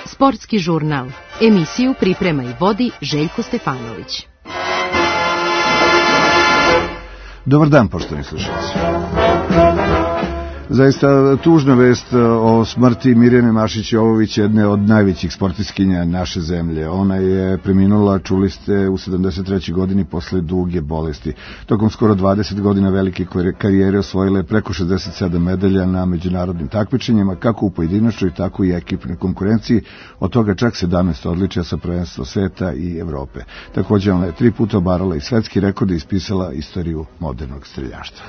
Sportski žurnal. Emisiju priprema i vodi Željko Stefanović. Dobar dan, poštovani slušalci. Zaista tužna vest o smrti Mirjane Mašić-Jovović, jedne od najvećih sportistkinja naše zemlje. Ona je preminula, čuli ste, u 73. godini posle duge bolesti. Tokom skoro 20 godina velike karijere osvojila je preko 67 medalja na međunarodnim takmičenjima, kako u pojedinačnoj, tako i ekipnoj konkurenciji, od toga čak 17 odličja sa prvenstva sveta i Evrope. Također ona je 3 puta obarala i svetski rekord i ispisala istoriju modernog streljaštva.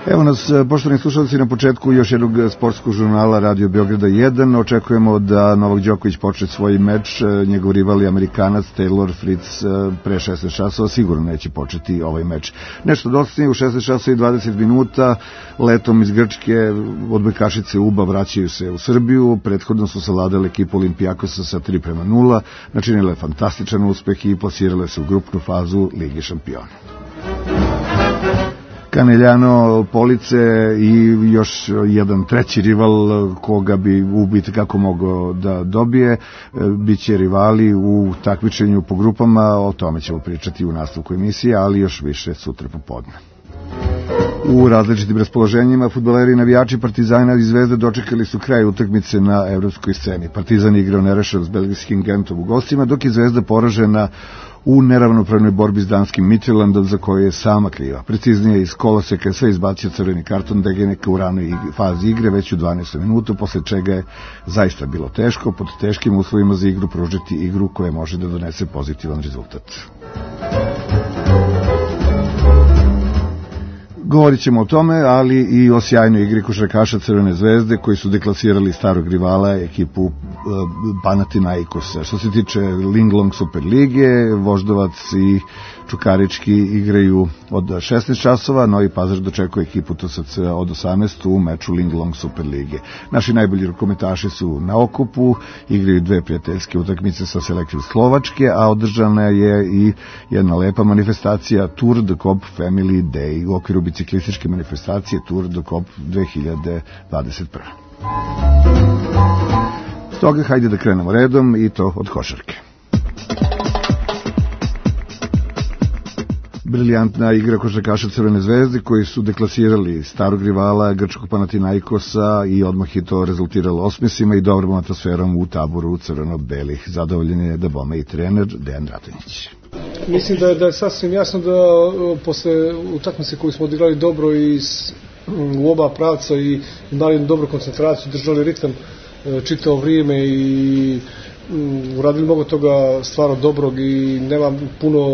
Evo nas, poštovani slušalci, na početku još jednog sportskog žurnala Radio Beograda 1. Očekujemo da Novak Đoković počne svoj meč. Njegov rival je Amerikanac Taylor Fritz pre 16 časova. Sigurno neće početi ovaj meč. Nešto dostatnije, u 16 časova i 20 minuta letom iz Grčke odbojkašice UBA vraćaju se u Srbiju. Prethodno su savladale ekipu Olimpijakosa sa 3:0. Načinile fantastičan uspeh i plasirale se u grupnu fazu Lige šampiona. Caneljano, Police i još jedan treći rival koga bi ubiti kako mogao da dobije, bit će rivali u takmičenju po grupama, o tome ćemo pričati u nastavku emisije, ali još više sutra popodne. U različitim raspoloženjima fudbaleri i navijači Partizana i Zvezde dočekali su kraj utakmice na evropskoj sceni. Partizan igrao nerešeno s belgijskim Gentom u gostima, dok je Zvezda poražena u neravnopravnoj borbi s danskim Midtjyllandom, za koju je sama kriva. Preciznije, iz koloseka je sve izbacio crveni karton Degeneka u ranoj fazi igre, već u 12. minutu, posle čega je zaista bilo teško pod teškim uslovima za igru pružiti igru koja može da donese pozitivan rezultat. Govorit ćemo o tome, ali i o sjajnoj igri košarkaša Crvene zvezde koji su deklasirali starog rivala ekipu Panathinaikosa. Što se tiče Linglong Super lige, Voždovac i Čukarički igraju od 16 časova, Novi Pazar dočekuje ekipu TSC od 18 u meču Linglong Super lige. Naši najbolji rukometaši su na okupu, igraju 2 prijateljske utakmice sa selekcijom Slovačke, a održana je i jedna lepa manifestacija Tour de Cop Family Day u okviru biciklističke manifestacije Tour de Cop 2021. Stoga hajde da krenemo redom i to od košarke. Briljantna igra košarkaša Crvene zvezde koji su deklasirali starog rivala grčkog Panathinaikosa i odmah je to rezultiralo osmesima i dobrom atmosferom u taboru crveno-belih. Zadovoljen je da bome i trener Dejan Ratonjić. Mislim da je sasvim jasno da posle utakmice koju smo odigrali dobro i u oba pravca i imali dobru koncentraciju, držali ritam čitavo vrijeme i uradili mnogo toga stvarno dobrog i nema puno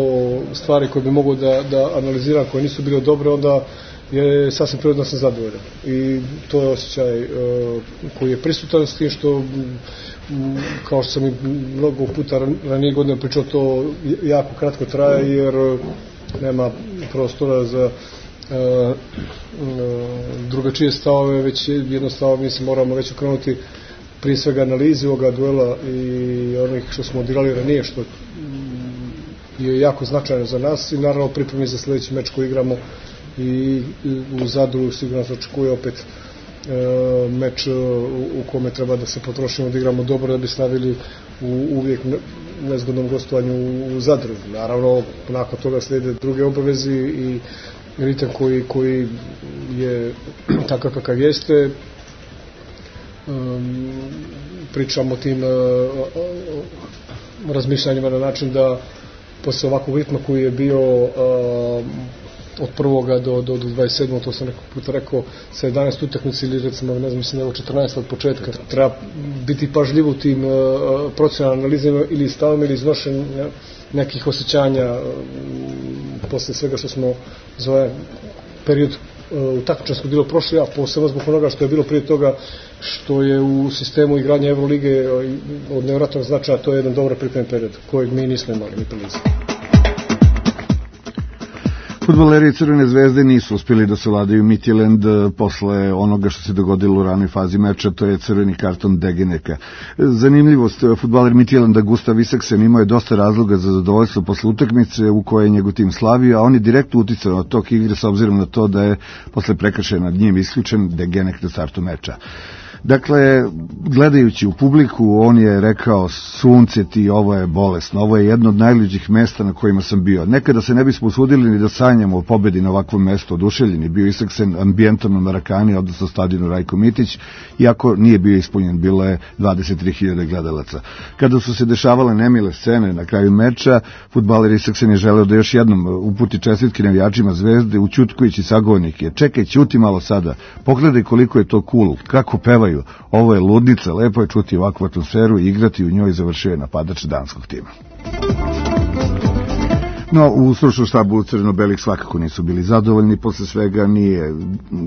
stvari koje bi mogo da analiziram koje nisu bile dobre, onda je sasvim prirodno sam zadovoljan. I to je osjećaj koji je prisutan, s tim što, kao što sam i mnogo puta ranije godine pričao, to jako kratko traje jer nema prostora za drugačije stavove, već jednostavno mislim moramo već okrenuti prije svega analizi ovoga duela i onih što smo odigrali ranije, što je jako značajno za nas i naravno pripremi za sljedeći meč koji igramo i u Zadru sigurno se očekuje opet meč u kome treba da se potrošimo, da igramo dobro da bi stavili u uvijek nezgodnom gostovanju u Zadru. Naravno, nakon toga slijede druge obavezi i ritam koji je takav kakav jeste. Pričamo o tim razmišljanjima na način da posle ovakvog ritma koji je bio od 1. do 27. to sam nekog puta rekao, sa 11 utakmica ili recimo, ne znam, mislim da je 14 od početka, treba biti pažljiv u tim procenalnim analizama ili stavama ili iznošenja nekih osjećanja posle svega što smo za ovaj period u takmičarskom dijelu prošli, a posebno zbog onoga što je bilo prije toga, što je u sistemu igranja Evrolige od nevjerojatnog značaja, to je jedan dobar pripremni period kojeg mi nismo imali ni prilici. Fudbaleri Crvene zvezde nisu uspjeli da savladaju Midtjylland posle onoga što se dogodilo u ranoj fazi meča, to je crveni karton Degeneka. Zanimljivost, fudbaler Midtjylanda Gustav Isaksen imao je dosta razloga za zadovoljstvo posle utakmice u kojoj je njegov tim slavio, a on je direktno uticao na tok igre s obzirom na to da je posle prekršaja nad njim isključen Degenek na startu meča. Dakle, gledajući u publiku, on je rekao: sunce ti, ovo je bolesno, ovo je jedno od najluđih mesta na kojima sam bio. Nekada se ne bismo usudili ni da sanjamo o pobedi na ovakvom mestu, oduševljeni bio Isaksen ambijentom na Marakani, odnosno stadionu Rajko Mitić, iako nije bio ispunjen, bilo je 23.000 gledalaca. Kada su se dešavale nemile scene na kraju meča, fudbaler Isaksen je želeo da još jednom uputi čestitke navijačima Zvezde, ućutkujući sagovornike: čekaj, ćuti malo sada, pogledaj koliko je to cool, kako pevaju. Ovo je ludnica, lepo je čuti ovakvu atmosferu i igrati u njoj, završio je napadač danskog tima. No, u stručnom štabu crveno-belih svakako nisu bili zadovoljni, posle svega nije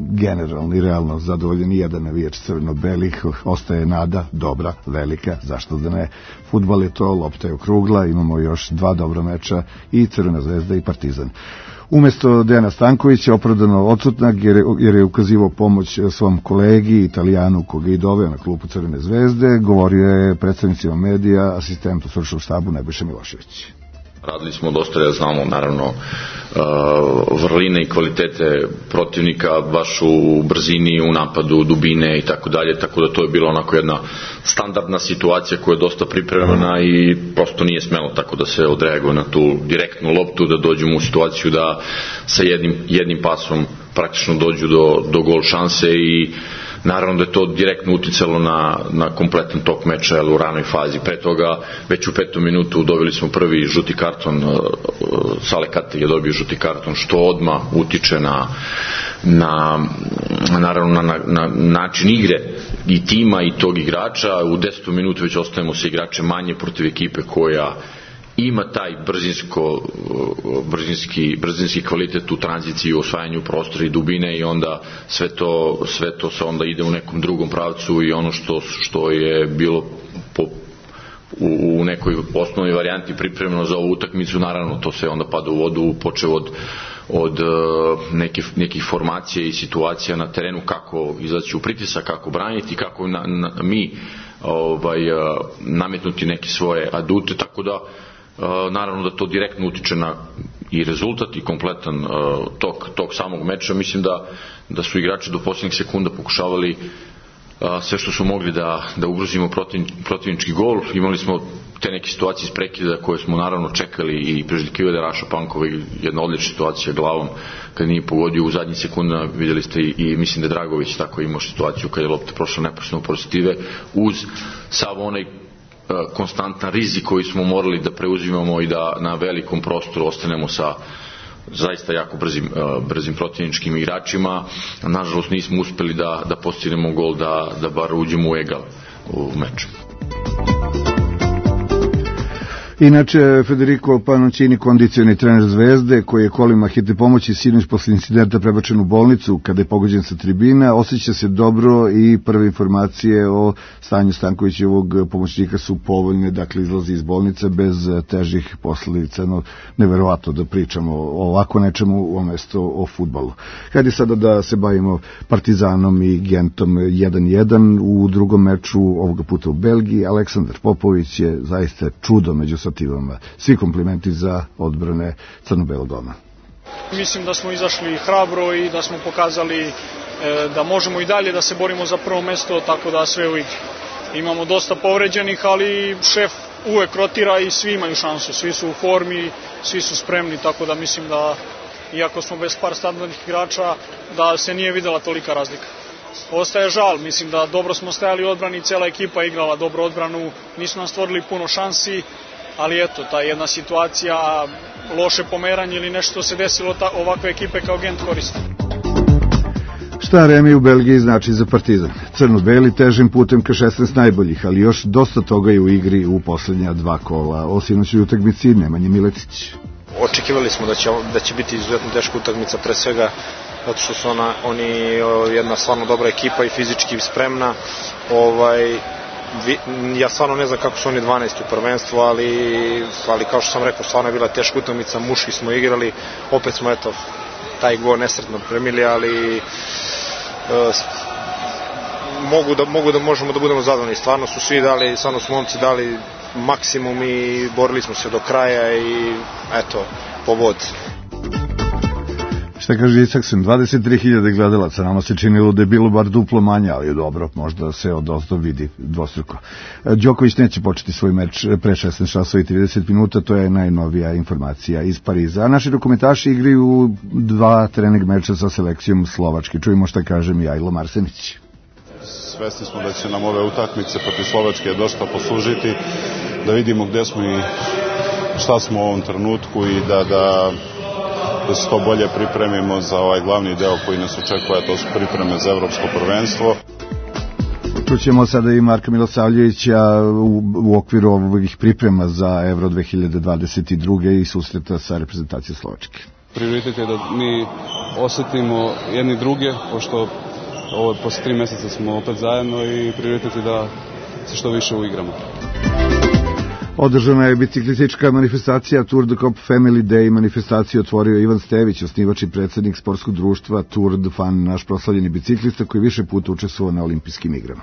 generalno i realno zadovoljen ni jedan navijač crveno-belih, ostaje nada, dobra, velika, zašto da ne, fudbal je to, lopta je okrugla, imamo još 2 dobra meča, i Crvena zvezda i Partizan. Umesto Dejana Stankovića, opravdano odsutnog jer je ukazivao pomoć svom kolegi Italijanu koga je i doveo na klupu Crvene zvezde, govorio je predstavnicima medija asistent u stručnom štabu Nebojša Milošević. Radili smo dosta, da znamo naravno vrline i kvalitete protivnika, baš u brzini, u napadu, dubine i tako dalje, tako da to je bila onako jedna standardna situacija koja je dosta pripremljena i prosto nije smelo tako da se odreaguje na tu direktnu loptu, da dođemo u situaciju da sa jednim pasom praktično dođu do gol šanse i naravno da je to direktno uticalo na kompletan tok meča u ranoj fazi. Pre toga, već u 5. minutu dobili smo prvi žuti karton, Sale Katek je dobio žuti karton, što odmah utiče naravno na način igre i tima i tog igrača. U 10. minutu već ostajemo sa igrače manje protiv ekipe koja ima taj brzinski kvalitet u tranziciji, u osvajanju prostora i dubine i onda sve to se onda ide u nekom drugom pravcu i ono što je bilo u nekoj osnovnoj varijanti pripremljeno za ovu utakmicu, naravno to se onda pada u vodu, počev od nekih formacija i situacija na terenu, kako izaći u pritisak, kako braniti, kako mi nametnuti neke svoje adute, tako da naravno da to direktno utiče na i rezultat i kompletan tok samog meča. Mislim da su igrači do posljednjih sekunda pokušavali sve što su mogli da ugrozimo protivnički gol. Imali smo te neke situacije iz prekida koje smo naravno čekali i priželjkivali da Raša Pankova, jedna odlična situacija glavom kad nije pogodio u zadnjih sekunda, vidjeli ste i mislim da Dragović tako imao situaciju kad je lopta prošla neposredno pored Stive, uz sav onaj konstantan rizik koji smo morali da preuzimamo i da na velikom prostoru ostanemo sa zaista jako brzim protivničkim igračima. Nažalost nismo uspeli da postignemo gol, da bar uđemo u egal u meču. Inače, Federico Panoncini, kondicioni trener Zvezde, koji je kolima hitne pomoći sinoć posle incidenta prebačen u bolnicu kada je pogođen sa tribina, osjeća se dobro i prve informacije o stanju Stankovićevog pomoćnika su povoljne, dakle izlazi iz bolnice bez težih posledica. No, neverovatno da pričamo o ovako nečemu umesto o fudbalu. Hajde sada da se bavimo Partizanom i Gentom 1-1 u drugom meču, ovoga puta u Belgiji. Aleksandar Popović je zaista čudo među sativama. Svi komplimenti za odbrane crno-belog doma. Mislim da smo izašli hrabro i da smo pokazali da možemo i dalje da se borimo za prvo mesto, tako da sve u igri. Imamo dosta povređenih, ali šef uvek rotira i svi imaju šansu, svi su u formi, svi su spremni, tako da mislim da, iako smo bez par standardnih igrača, da se nije videla tolika razlika. Ostaje žal, mislim da dobro smo stajali u odbrani, cela ekipa je igrala dobro odbranu, nisu nam stvorili puno šansi, ali eto, ta jedna situacija, loše pomeranje ili nešto se desilo, ovakve ekipe kao Gent koriste. Šta remi u Belgiji znači za Partizan? Crno-beli težim putem ka 16 najboljih, ali još dosta toga je u igri u poslednja 2 kola. O sinoćnoj utakmici Nemanja Miletić. Očekivali smo da će biti izuzetno teška utakmica, pre svega zato što su oni jedna stvarno dobra ekipa i fizički spremna. ja stvarno ne znam kako su oni 12 u prvenstvu, ali kao što sam rekao, stvarno je bila teška utakmica, muški smo igrali, opet smo taj gol nesretno premili, ali možemo da budemo zadovoljni. Stvarno su svi dali, stvarno su momci dali maksimum i borili smo se do kraja i eto, pobod. Šta kaže Isaksen, 23.000 gledalaca, nama se činilo da je bilo bar duplo manje, ali dobro, možda se odozdo vidi dvostruko. Đoković neće početi svoj meč pre 16 časova i 30 minuta, to je najnovija informacija iz Pariza. A naši dokumentaši igraju 2 trening meča sa selekcijom Slovačke. Čujemo šta kaže Mijajlo Marsenić. Svesni smo da će nam ove utakmice protiv Slovačke dosta poslužiti, da vidimo gde smo i šta smo u ovom trenutku i da se to bolje pripremimo za ovaj glavni deo koji nas očekuje, to su pripreme za evropsko prvenstvo. Čućemo sada i Marka Milosavljevića u okviru ovih priprema za Euro 2022. i susreta sa reprezentacijom Slovačke. Prioritet je da mi osetimo jedni druge, pošto ovo posle 3 meseca smo opet zajedno i prioritet je da se što više uigramo. Održana je biciklistička manifestacija Tour de Cop Family Day. Manifestaciju otvorio Ivan Stević, osnivač i predsednik sportskog društva Tour de Fan, naš proslavljeni biciklista koji više puta učestvovao na olimpijskim igrama.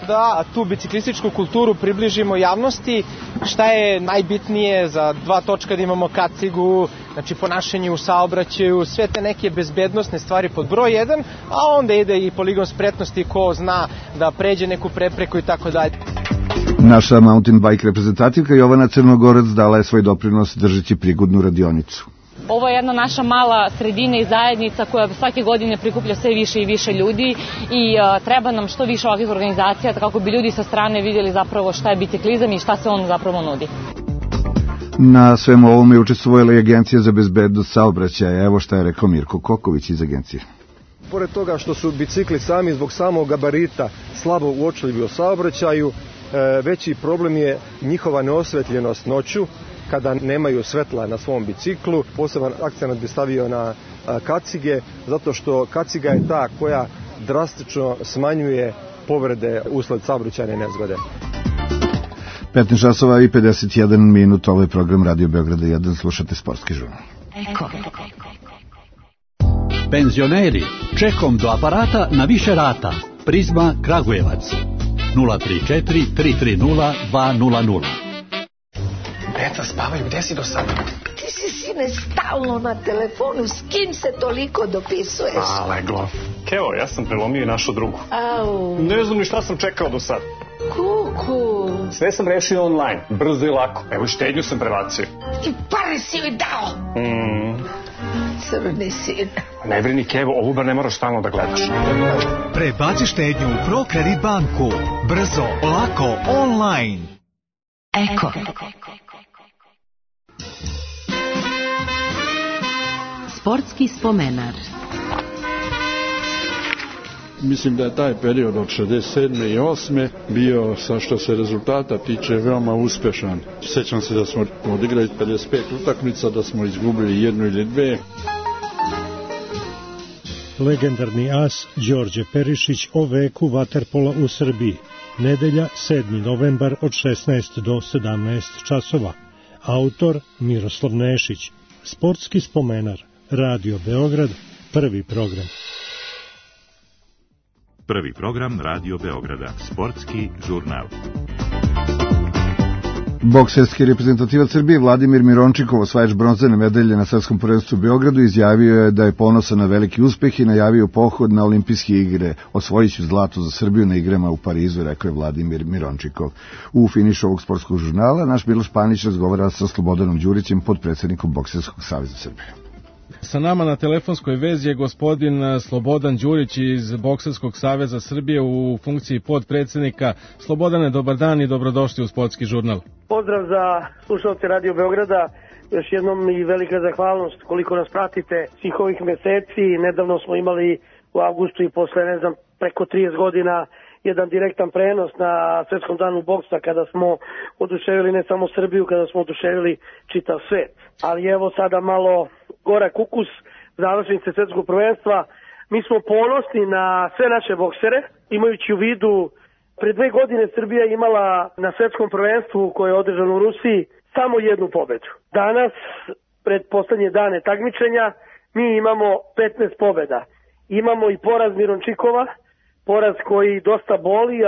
Da tu biciklističku kulturu približimo javnosti, šta je najbitnije za 2 točka da imamo kacigu, znači ponašanje u saobraćaju, sve te neke bezbednosne stvari pod broj 1, a onda ide i poligon spretnosti ko zna da pređe neku prepreku i tako dalje. Naša mountain bike reprezentativka Jovana Crnogorac dala je svoj doprinos držeći prigodnu radionicu. Ovo je jedna naša mala sredina i zajednica koja svake godine prikuplja sve više i više ljudi i treba nam što više ovakvih organizacija kako bi ljudi sa strane vidjeli zapravo šta je biciklizam i šta se on zapravo nudi. Na svemu ovome je učestvovala i Agencija za bezbednost saobraćaja. Evo šta je rekao Mirko Koković iz agencije. Pored toga što su bicikli sami zbog samog gabarita slabo uočljivi u saobraćaju, veći problem je njihova neosvetljenost noću kada nemaju svetla na svom biciklu. Poseban akcent bi stavio na kacige, zato što kaciga je ta koja drastično smanjuje povrede usled saobraćajne nezgode. 15 časova i 51 minut, ovo je program Radio Beograda 1, slušate sportski žurnal. Penzioneri, čekom do aparata na više rata. Prizma Kragujevac 034 330 200. Deca spavaju, gde si do sada? Ti si, sine, stalno na telefonu, s kim se toliko dopisuješ? Leglo. Kevo, ja sam prelomio i našu drugu. Au. Ne znam ni šta sam čekao do sad. Kuku. Sve sam rešio online, brzo i lako. Evo i štednju sam prebacio. I pare si joj dao. Crni sin. Ne brini, Kevo, ovu bar ne moraš stalno da gledaš. Prebaci štednju u ProKredit banku. Brzo, lako, online. Eko. Sportski spomenar. Mislim da je taj period od 67. i 8. bio, sa što se rezultata tiče, veoma uspešan. Sjećam se da smo odigrali 55 utakmica, da smo izgubili 1 ili 2. Legendarni as Đorđe Perišić o veku vaterpola u Srbiji. Nedelja 7. novembar od 16 do 17 časova. Autor Miroslav Nešić. Sportski spomenar. Radio Beograd. Prvi program. Prvi program Radio Beograda. Sportski žurnal. Bokserski reprezentativac Srbije Vladimir Mirončikov, osvajač bronzane medalje na svetskom prvenstvu u Beogradu, izjavio je da je ponosan na veliki uspeh i najavio pohod na olimpijske igre. Osvojiću zlato za Srbiju na igrama u Parizu, rekao je Vladimir Mirončikov. U finišu ovog sportskog žurnala naš Miloš Panić razgovara sa Slobodanom Đurićem, podpredsednikom Bokserskog saveza Srbije. Sa nama na telefonskoj vezi je gospodin Slobodan Đurić iz Bokserskog saveza Srbije u funkciji podpredsednika. Slobodane, dobar dan i dobrodošli u sportski žurnal. Pozdrav za slušalce Radio Beograda. Još jednom i velika zahvalnost koliko nas pratite svih ovih meseci. Nedavno smo imali u avgustu i posle, preko 30 godina jedan direktan prenos na Svetskom danu boksa kada smo oduševili ne samo Srbiju, kada smo oduševili čitav svet. Ali evo sada malo gorak ukus završnice svetskog prvenstva. Mi smo ponosni na sve naše boksere, imajući u vidu Pre 2 godine Srbija imala na svetskom prvenstvu koje je održano u Rusiji samo jednu pobedu. Danas, pred poslednje dane takmičenja, mi imamo 15 pobeda. Imamo i poraz Mirončikova, poraz koji dosta boli,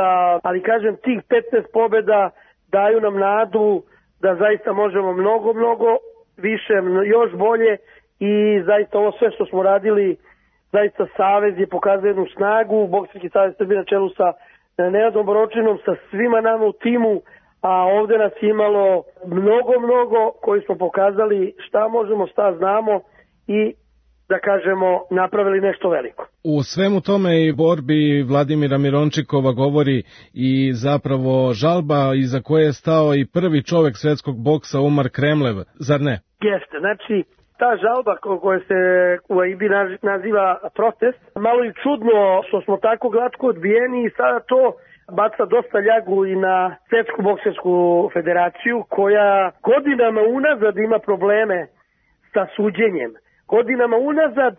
ali kažem, tih 15 pobeda daju nam nadu da zaista možemo mnogo više, još bolje i zaista ovo sve što smo radili, zaista Savez je pokazao jednu snagu, Bokserski savez Srbije na čelu sa Nenadom Boročinom, sa svima nama u timu, a ovde nas imalo mnogo koji smo pokazali šta možemo, šta znamo i da kažemo napravili nešto veliko. U svemu tome i borbi Vladimira Mirončikova govori i zapravo žalba iza koje je stao i prvi čovek svetskog boksa Umar Kremlev, zar ne? Jeste, znači ta žalba koja se u AIB naziva protest, malo i čudno što smo tako glatko odbijeni i sada to baca dosta ljagu i na Svetsku boksersku federaciju koja godinama unazad ima probleme sa suđenjem. Godinama unazad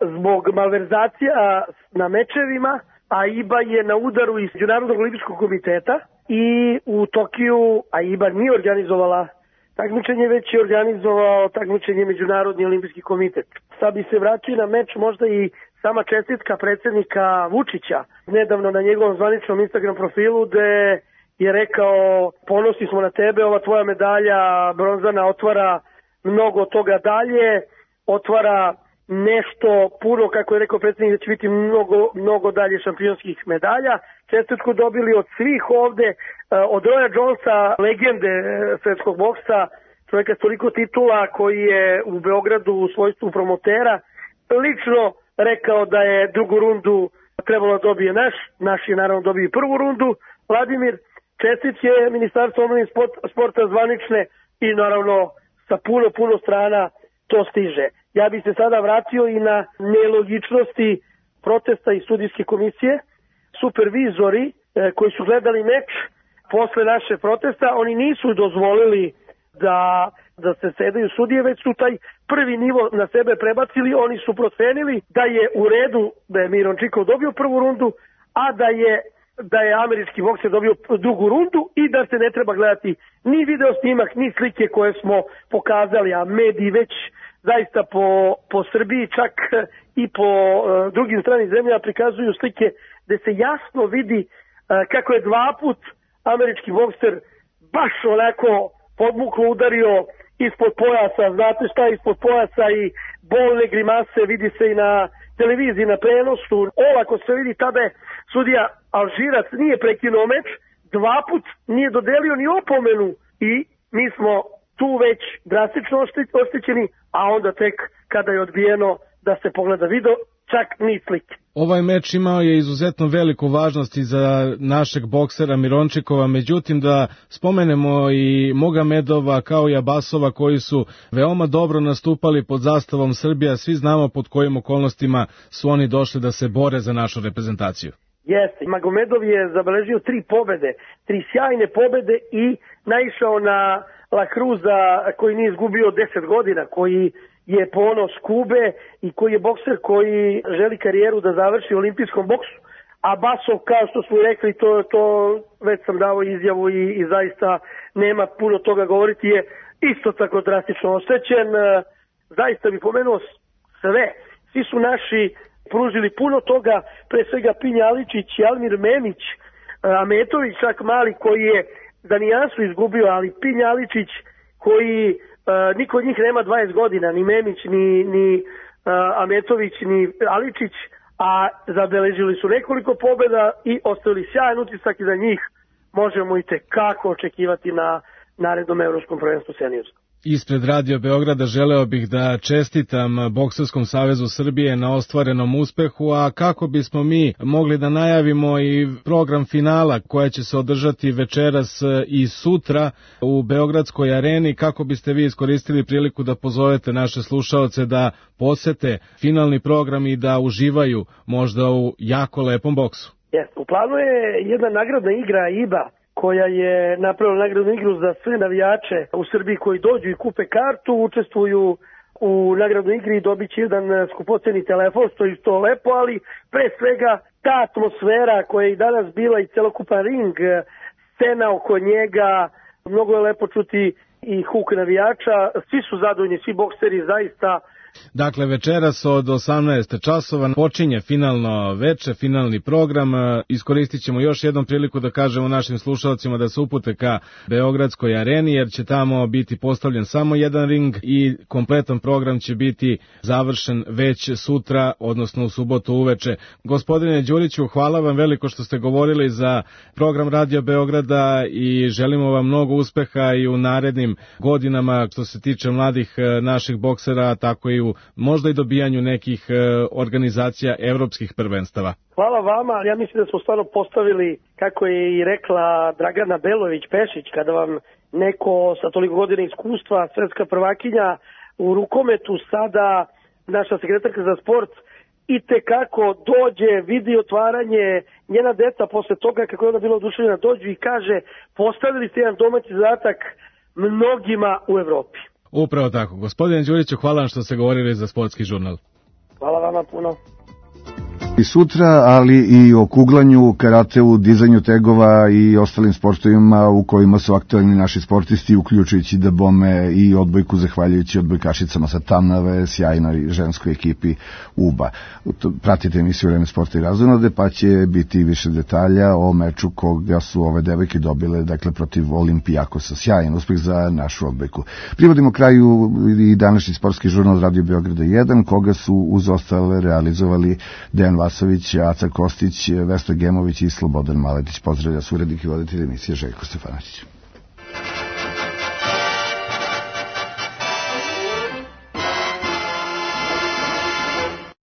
zbog malverzacija na mečevima, AIBA je na udaru iz Međunarodnog olimpijskog komiteta i u Tokiju AIBA nije organizovala takmičenje, već je organizovao takmičenje Međunarodni olimpijski komitet. Sad bi se vratio na meč možda i sama čestitka predsjednika Vučića nedavno na njegovom zvaničnom Instagram profilu gde je rekao ponosni smo na tebe, ova tvoja medalja bronzana otvara mnogo toga dalje, otvara nešto puno, kako je rekao predsjednik, da će biti mnogo dalje šampionskih medalja. Čestitku dobili od svih ovde, od Roya Jonesa, legende svetskog boksa, čovjeka s toliko titula koji je u Beogradu u svojstvu promotera, lično rekao da je drugu rundu trebalo da dobije naš je naravno dobio i prvu rundu. Vladimir, čestitke Ministarstvo omladine sporta zvanične i naravno sa puno strana to stiže. Ja bih se sada vratio i na nelogičnosti protesta i sudijske komisije. Supervizori koji su gledali meč posle naše protesta, oni nisu dozvolili da se sedaju sudije, već su taj prvi nivo na sebe prebacili, oni su procenili da je u redu da je Mirončikov dobio prvu rundu, a da je američki bokser dobio drugu rundu i da se ne treba gledati ni video snimak, ni slike koje smo pokazali, a mediji već zaista po Srbiji, čak i po drugim stranim zemljama prikazuju slike gde se jasno vidi kako je 2 put američki bokser baš onako podmuklo udario ispod pojasa, znate šta je ispod pojasa i bolne grimase, vidi se i na televiziji, na prenosu. Olako se vidi, tada je sudija Alžirac nije prekinuo meč, 2 put nije dodelio ni opomenu i mi smo tu već drastično oštećeni, a onda tek kada je odbijeno da se pogleda video, čak ni slike. Ovaj meč imao je izuzetno veliku važnost i za našeg boksera Mirončikova, međutim da spomenemo i Mogomedova kao i Abasova koji su veoma dobro nastupali pod zastavom Srbija, svi znamo pod kojim okolnostima su oni došli da se bore za našu reprezentaciju. Jeste, Magomedov je zabeležio 3 pobede, 3 sjajne pobede i naišao na La Cruza koji nije izgubio 10 godina, koji je ponos Kube i koji je bokser koji želi karijeru da završi u olimpijskom boksu. A Basov, kao što smo rekli, to već sam dao izjavu i zaista nema puno toga govoriti, je isto tako drastično oštećen. Zaista bi pomenuo sve. Svi su naši pružili puno toga, pre svega Pinja Aličić i Almir Memić, Ametović čak mali koji je Danijansu izgubio, ali Pinja Aličić koji niko od njih nema 20 godina, ni Memić, ni Ametović, ni Aličić, a zabeležili su nekoliko pobjeda i ostavili sjajan utisak i za njih možemo i tekako očekivati na narednom evropskom prvenstvu seniorskom. Ispred Radio Beograda želeo bih da čestitam Bokserskom savezu Srbije na ostvarenom uspehu, a kako bismo mi mogli da najavimo i program finala koja će se održati večeras i sutra u Beogradskoj areni, kako biste vi iskoristili priliku da pozovete naše slušaoce da posete finalni program i da uživaju možda u jako lepom boksu? U planu je jedna nagradna igra IBA koja je napravila nagradnu igru za sve navijače u Srbiji koji dođu i kupe kartu, učestvuju u nagradnoj igri i dobit će jedan skupoceni telefon, što je isto lepo, ali pre svega ta atmosfera koja je i danas bila i celokupan ring, scena oko njega, mnogo je lepo čuti i huk navijača, svi su zadovoljni, svi bokseri zaista. Dakle, večeras od 18 časova počinje finalno veče, finalni program. Iskoristit ćemo još jednom priliku da kažemo našim slušalcima da se upute ka Beogradskoj areni, jer će tamo biti postavljen samo jedan ring i kompletan program će biti završen već sutra, odnosno u subotu uveče. Gospodine Đuriću, hvala vam veliko što ste govorili za program Radio Beograda i želimo vam mnogo uspeha i u narednim godinama što se tiče mladih naših boksera, tako i u možda i dobijanju nekih organizacija evropskih prvenstava. Hvala vama, ja mislim da smo stvarno postavili, kako je i rekla Dragana Belović-Pešić, kada vam neko sa toliko godina iskustva, svetska prvakinja u rukometu, sada naša sekretarka za sport, i tekako dođe, vidi otvaranje, njena deca posle toga, kako je ona bila oduševljena, dođu i kaže, postavili ste jedan domaći zadatak mnogima u Evropi. Upravo tako. Gospodine Đuriću, hvala vam što ste govorili za Sportski žurnal. Hvala vama puno. I sutra, ali i o kuglanju, karateu, dizanju tegova i ostalim sportovima u kojima su aktualni naši sportisti, uključujući da bome i odbojku, zahvaljujući odbojkašicama sa Tamnave, sjajnoj ženskoj ekipi UBA. Pratite emisiju Vreme sporta i razonode, pa će biti više detalja o meču koga su ove devojke dobile, dakle protiv Olimpijakosa. Sjajan uspeh za našu odbojku. Privodimo kraju i današnji sportski žurnal Radio Beograda 1, koga su uz ostale realizovali Dejan Vasović, Aca Kostić, Vesna Gemović i Slobodan Maletić. Pozdravlja urednik i voditelj emisije Željko Stefanović.